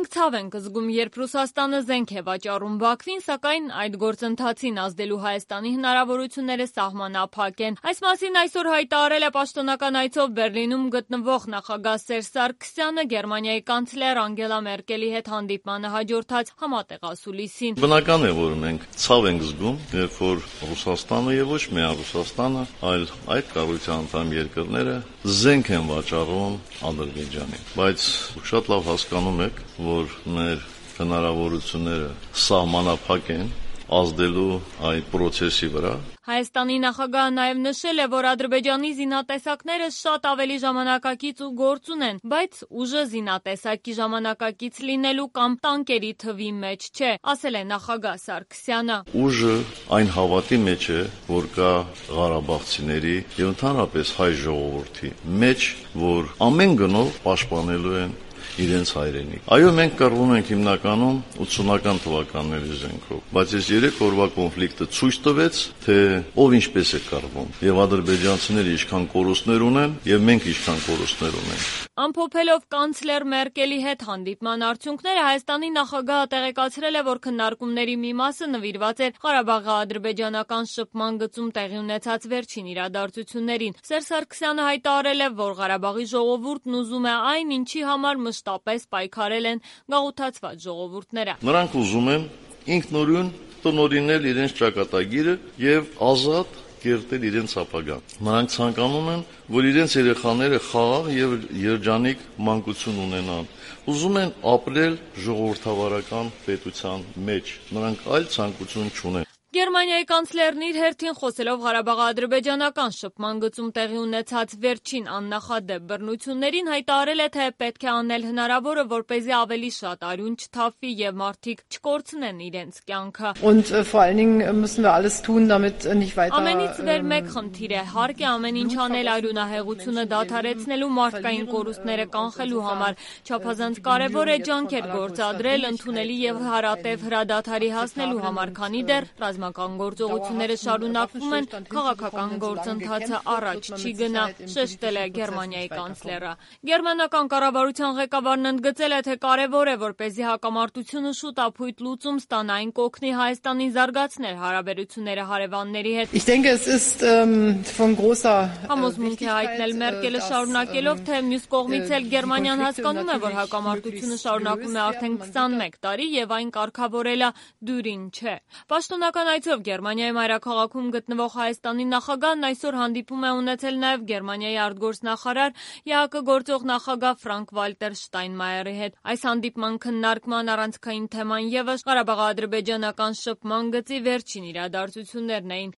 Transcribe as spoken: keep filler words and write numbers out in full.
Մենք ցավ ենք զգում, երբ Ռուսաստանը զենք է վաճառում Բաքվին, սակայն այդ գործընթացին ազդելու Հայաստանի հնարավորությունները սահմանափակ են։ Այս մասին այսօր հայտարարել է պաշտոնական այցով Բեռլինում գտնվող նախագահ Սերժ Սարգսյանը Գերմանիայի կանցլեր Անգելա Մերկելի հետ հանդիպմանը հաջորդած համատեղասուլիսին։ Բնական է, որ մենք ցավ ենք զգում, երբ որ Ռուսաստանը եւ ոչ միայն Ռուսաստանը, այլ այդ կառույցի անդամ երկրները զենք են վաճառում Ադրբեջանին։ Բայց շատ լավ հասկանում եք, որ մեր հնարավորությունները սահմանափակ են ազդելու այդ process-ի վրա։ Հայաստանի նախագահը նաև նշել է, որ Ադրբեջանի զինատեսակները շատ ավելի ժամանակակից ու գործուն են, բայց ուժը զինատեսակի ժամանակակից լինելու կամ տանկերի թվի մեջ չէ, ասել է նախագահ Սարգսյանը։ Ուժը այն հավատի մեջ է, որ կա ղարաբաղցիների եւ ընդհանրապես հայ ժողովրդի մեջ, որ ամեն գնով պաշտպանելու են իրենց հայրենիք։ Այո, մենք կռվում ենք հիմնականում ութսունական թվականների զենքով, բայց այս երեք օրվա կոնֆլիկտը ցույց տվեց, թե ով ինչպես է կռվում, եւ ադրբեջանցիները ինչքան կորուստներ ունեն, եւ մենք ինչքան կորուստներ ունենք։ Ամփոփելով կանցլեր Մերկելի հետ հանդիպման արդյունքները, Հայաստանի նախագահը տեղեկացրել է, որ քննարկումների մի մասը նվիրված էր Ղարաբաղի ադրբեջանական շփման գծում տեղի ունեցած վերջին իրադարձություններին։ Սերժ Սարգսյանը հայտարարել է, որ Ղարաբաղի ժողովուրդն ուզում է այն, ինչի համար մշտապես պայքարել են գաղութացված ժողովուրդները։ Նրանք ուզում են ինքնուրույն տնօրինել իրենց ճակատագիրը եւ ազատ կերտել իրենց ապագան։ Նրանք ցանկանում են, որ իրենց երեխաները խաղաղ եւ երջանիկ մանկություն ունենան։ Ուզում են ապրել ժողովրդավարական պետության մեջ։ Նրանք այլ ցանկություն չունեն։ Գերմանիայի կանցլերն իր հերթին խոսելով Ղարաբաղ-ադրբեջանական շփման գծում տեղի ունեցած վերջին աննախադեպ բռնություններին հայտարարել է, թե պետք է անել հնարավորը, որպեսզի ավելի շատ արյուն չթափվի եւ մարդիկ չկորցնեն իրենց կյանքը։ Ամենից վեր մեկ խնդիր է, հարկ է ամեն ինչ անել արյունահեղությունը դադարեցնելու, մարդկային կորուստները կանխելու համար։ Չափազանց կարևոր է ջանքեր գործադրել ընդունելի եւ հարատեւ հրադադարի հասնելու համար, քանի դեռ ռազմական գործողությունները շարունակվում են, քաղաքական գործընթացը առաջ չի գնա, շեշտել է Գերմանիայի կանցլերը։ Գերմանական կառավարության ղեկավարն ընդգծել է, թե կարևոր է, որպեսզի հակամարտությունը շուտ ապույտ լուծում ստանա, այն կօգնի Հայաստանին զարգացնել հարաբերությունները հարևանների հետ։ Համոզմունք է հայտնել Մերկելը շարունակելով, թե մյուս կողմից էլ Գերմանիան հասկանում է, որ հակամարտությունը շարունակվում է արդեն քսանմեկ տարի եւ այն կարգավորելը դյուրին չէ։ Պաշտոնական այցով Գերմանիայի մայրաքաղաքում գտնվող Հայաստանի նախագահն այսօր հանդիպում է ունեցել նաև Գերմանիայի արտգործնախարար ԵԱՀԿ գործող նախագահ Ֆրանկ Վալտեր Շտայնմայերի հետ։ Այս հանդիպման քննարկման առանցքային թեման ևս Ղարաբաղ-ադրբեջանական շփման գծի վերջին իրադարձություններն էին։